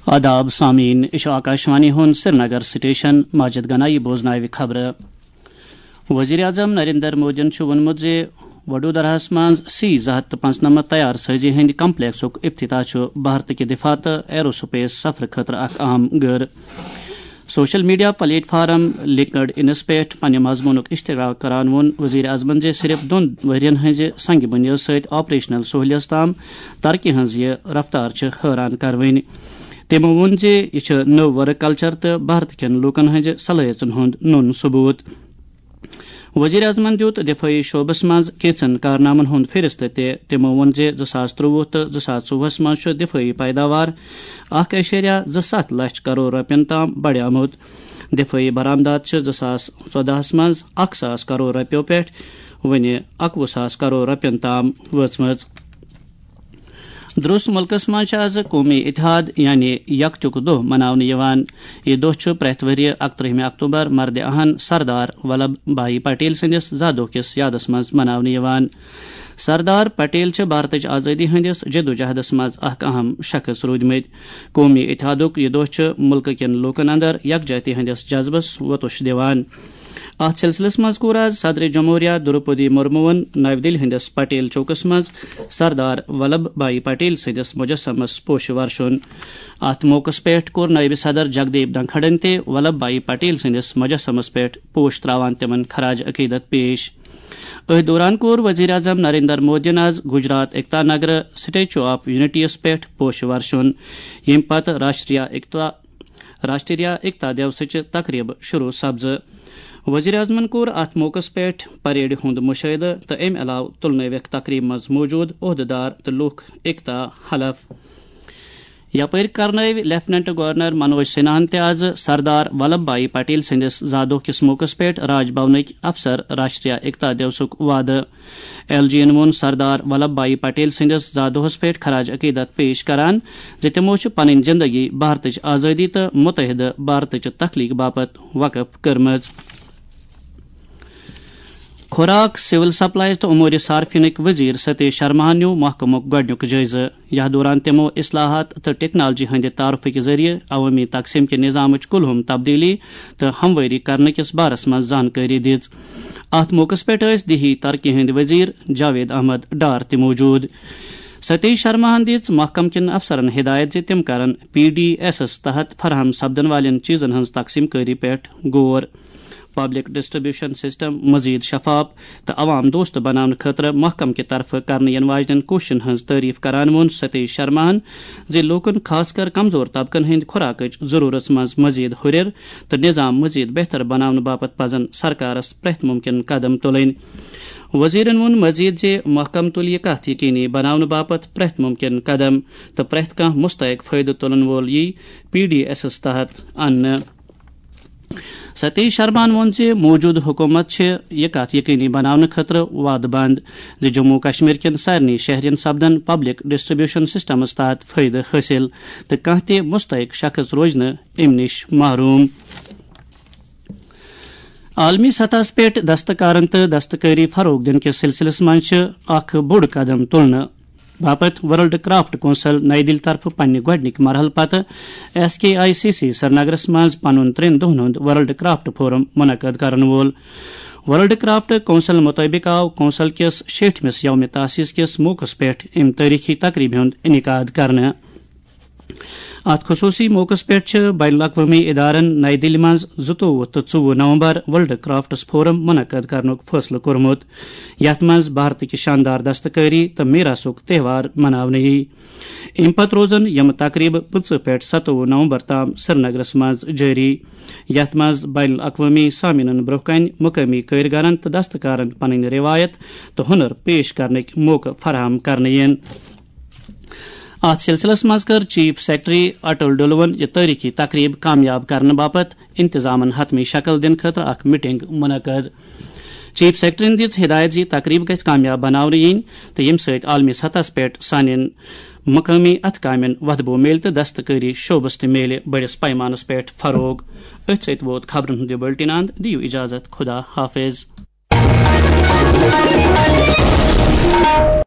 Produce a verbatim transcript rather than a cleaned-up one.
آداب سامعین، یہِ چھُ آکاشوانی ہُنٛد سرینگر سٹیشن۔ ماجد گنایی بوزناوِ خبرٕ۔ وزیر اعظم نریندر مودیَن چھُ ووٚنمُت زِ وڈودراہَس منٛز سی زٕ ہَتھ تہٕ پانٛژنَمَتھ تیار سٲزی ہٕنٛدِ کمپلیکسُک افتتاح چھُ بھارتہٕ کہِ دفاع تہٕ ایروسپیس سفرٕ خٲطرٕ اکھ اہم گٔر۔ سوشل میڈیا پلیٹ فارم لنکڈ انس پٮ۪ٹھ پننہِ مضموٗنُک اشتراک کران ووٚن وزیر اعظمن زِ صرف دۄن ؤرین ہٕنٛزِ سنگ بنیٲد سۭتۍ آپریشنل سہولیژ تام ترقی ہٕنٛز یہِ رفتار چھِ حٲران کروٕنۍ۔ تِمو ووٚن زِ یہِ چھِ نٔو ورک کلچر تہٕ بھارت کٮ۪ن لوٗکن ہٕنٛزِ صلٲحیژن ہُنٛد نوٚن ثبوت۔ وزیر اعظمن دیُت دفٲعی شعبس منٛز کینٛژن کارنامن ہُنٛد فہرست تہِ۔ تِمو ووٚن زِ زٕ ساس ترٛۆوُہ تہٕ زٕ ساس ژوٚوُہس منٛز چھُ دفٲعی پیداوار اکھ اعشاریہ زٕ ستھ لچھ کرور رۄپین تام بڑیومُت۔ دفٲعی برآمدات چھِ زٕ ساس ژۄدہس منٛز اکھ ساس کرور رۄپیو پٮ۪ٹھ وۄنہِ اکوُہ ساس کرور رۄپین تام وٲژمٕژ۔ درست ملکس منٛز چھِ از قومی اتحاد یعنی یکتیُک دۄہ مناونہٕ یِوان۔ یہِ دۄہ چھُ پرٛٮ۪تھ ؤرۍ یہِ اکترٕہمہِ اکتوبر مردِ اہن سردار ولبھ بھائی پٹیل سٕنٛدِس زا دۄہ کِس یادس منٛز مناونہٕ یِوان۔ سردار پٹیل چھِ بھارتٕچ آزٲدی ہٕنٛدِس جدوجہدس منٛز اکھ اہم شخص روٗدمٕتۍ۔ قومی اتحادُک یہِ دۄہ چھُ ملکہٕ کٮ۪ن لوٗکن اندر یکجہتی ہٕنٛدِس جذبس وۄتُش دِوان۔ اتھ سلسلس منٛز کوٚر از صدر جمہوریہ دروپدی مرموہن نَوِ دِلہِ ہٕنٛدِس پٹیل چوکس منٛز سردار ولبھ بھائی پٹیل سٕنٛدِس مجسمس پوشہٕ ورشُن۔ اتھ موقعس پٮ۪ٹھ کوٚر نٲیِب صدر جگدیپ دھنکھڑن تہِ ولبھ بھائی پٹیل سٕنٛدِس مجسمس پٮ۪ٹھ پوش تراوان تِمن خراج عقیدت پیش۔ أتھۍ دوران کوٚر وزیر اعظم نریندر مودیَن از گجرات ایکتا نگر سٹیچو آف یونٹی یَس پٮ۪ٹھ پوشہٕ ورشُن، ییٚمہِ پتہٕ راشٹریہ ایکتا راشٹریہ ایکتا دیوسٕچہِ تقریبہٕ شروع سپزٕ۔ وزیر اعظمن کوٚر اتھ موقعس پٮ۪ٹھ پریڈِ ہُنٛد مشاہدٕ تہٕ امہِ علاوٕ تُلنٲوِکھ تقریبہِ منٛز موجود عہدٕدار تہٕ لوٗکھ ایکتا حلف۔ یپٲرۍ کرنٲوۍ لیفٹیننٹ گورنر منوج سنہاہن تہِ از سردار ولبھ بھائی پٹیل سٕنٛدِس زا دۄہ کِس موقعس پٮ۪ٹھ راج بھونٕکۍ افسر راشٹریہ ایکتا دیوسُک وعدٕ۔ ایل جی ین ووٚن سردار ولبھ بھائی پٹیل سٕنٛدِس زا دۄہس پٮ۪ٹھ خراج عقیدت پیش کران زِ تِمو چھِ پنٕنۍ زندگی بھارتٕچ آزٲدی تہٕ متحدٕ بھارتٕچہِ تخلیق باپتھ وقف کٔرمٕژ۔ خوراک، سول سپلائز تہٕ امور صارفینٕکۍ وزیر ستیش شرماہن نیوٗ محکمُک گۄڈٕنیُک جٲیزٕ۔ یتھ دوران تِمو اصلاحات تہٕ ٹیکنالوجی ہٕنٛدِ تعارفٕکہِ ذٔریعہٕ عوٲمی تقسیٖم کہِ نظامٕچ کُلہُم تبدیٖلی تہٕ ہموٲری کرنہٕ کِس بارس منٛز زانکٲری دِژ۔ اتھ موقعس پٮ۪ٹھ ٲسۍ دیہی ترقی ہٕنٛدۍ وزیر جاوید احمد ڈار تہِ موجود۔ ستیش شرماہن دِژ محکمہٕ کٮ۪ن افسرن ہدایت زِ تِم کرن پی ڈی ایسس تحت فراہم سپدن والٮ۪ن چیزن ہٕنٛز تقسیٖم کٲری پٮ۪ٹھ غور۔ پبلک ڈسٹریبیوشن سسٹم مزید شفاف تہٕ عوام دوست بناونہٕ خٲطرٕ محکمہٕ کہِ طرفہٕ کرنہٕ یِنہٕ واجنٮ۪ن کوٗششن ہٕنٛز تعریف کران ووٚن ستیش شرماہن زِ لوٗکن، خاص کر کمزور طبقن ہٕنٛدِ خوراکٕچ ضروٗرژ منٛز مزید ہُرٮ۪ر تہٕ نظام مزید بہتر بناونہٕ باپتھ پزن سرکارس پرٛٮ۪تھ ممکن قدم تُلٕنۍ۔ وزیرن ووٚن مزید زِ محکمہٕ تُلہِ یہِ کتھ یقینی بناونہٕ باپتھ پرٛٮ۪تھ ممکن قدم تہٕ پرٛٮ۪تھ کانٛہہ مستحق فٲیدٕ تُلن وول یی پی ڈی ایسس تحت اننہٕ۔ ستیش شرماہن ووٚن زِ موجودٕ حکومت چھِ یہِ کتھ یقینی بناونہٕ خٲطرٕ وعدٕ بنٛد زِ جموں و کشمیر کٮ۪ن سارنٕے شہرین سپدن پبلک ڈسٹریبیوشن سسٹمس تحت فٲیدٕ حٲصِل تہٕ کانٛہہ تہِ مستحق شخص روزِ نہٕ امہِ نِش محروم۔ عالمی سطحس پٮ۪ٹھ دستکارن تہٕ دستکٲری فروغ دِنہٕ کِس سلسلس منٛز چھِ اکھ بوٚڑ قدم تُلنہٕ باپتھ ورلڈ کرافٹ کونسل نئی دِلہِ طرفہٕ پننہِ گۄڈٕنِکۍ مرحلہٕ پتہٕ S K I C C سرینگرس منٛز پنُن ترٛٮ۪ن دۄہن ہُنٛد ورلڈ کرافٹ فورم منعقد کرن وول۔ ورلڈ کرافٹ کونسل مُطٲبِق آو کونسل کِس شیٹھمِس یوم تاسیس کِس موقعس پٮ۪ٹھ اَمہِ تٲریخی تقریبہِ ہُنٛد انعقاد کرنہٕ۔ اتھ خصوصی موقعس پٮ۪ٹھ چھِ بین الاقوٲمی ادارن نئی دِلہِ منٛز زٕتووُہ تہٕ ژوٚوُہ نومبر ورلڈ کرافٹس فورم منعقد کرنُک فٲصلہٕ کوٚرمُت، یتھ منٛز بھارتٕکۍ شاندار دستکٲری تہٕ میراثُک تہوار مناونہٕ یِیہِ۔ اَمہِ پتہٕ روزن یِم تقریبہٕ پٕنٛژٕہ پٮ۪ٹھ ستووُہ نومبر تام سرینگرس منٛز جٲری، یتھ منٛز بین الاقوٲمی سامعیٖنن برٛونٛہہ کنہِ مقٲمی کٲرۍ گرن تہٕ دستکارن پنٕنۍ رٮ۪وایت تہٕ ہُنر پیش کرنٕکۍ موقعہٕ فراہم کرنہٕ یِن۔ اتھ سلسلس منٛز کٔر چیف سیکرٹری اٹل ڈلون یہِ تٲریخی تقریب کامیاب کرنہٕ باپتھ انتظامن حتمی شکل دِنہٕ خٲطرٕ اکھ میٹنگ منعقد۔ چیف سیکرٹریَن دِژ ہدایت زِ یہِ تقریب گژھِ کامیاب بناونہٕ یِنۍ تہٕ ییٚمہِ سۭتۍ عالمی سطحس پٮ۪ٹھ سانٮ۪ن مقٲمی اتھٕ کامٮ۪ن وۄتھٕ بو میلہِ تہٕ دستکٲری شعبس تہِ میلہِ بٔڑِس پیمانس پٮ۪ٹھ فروغ۔ أتھۍ سۭتۍ ووت خبرن ہُنٛد یہِ بُلٹن اند۔ دِیِو اجازت، خدا حافظ۔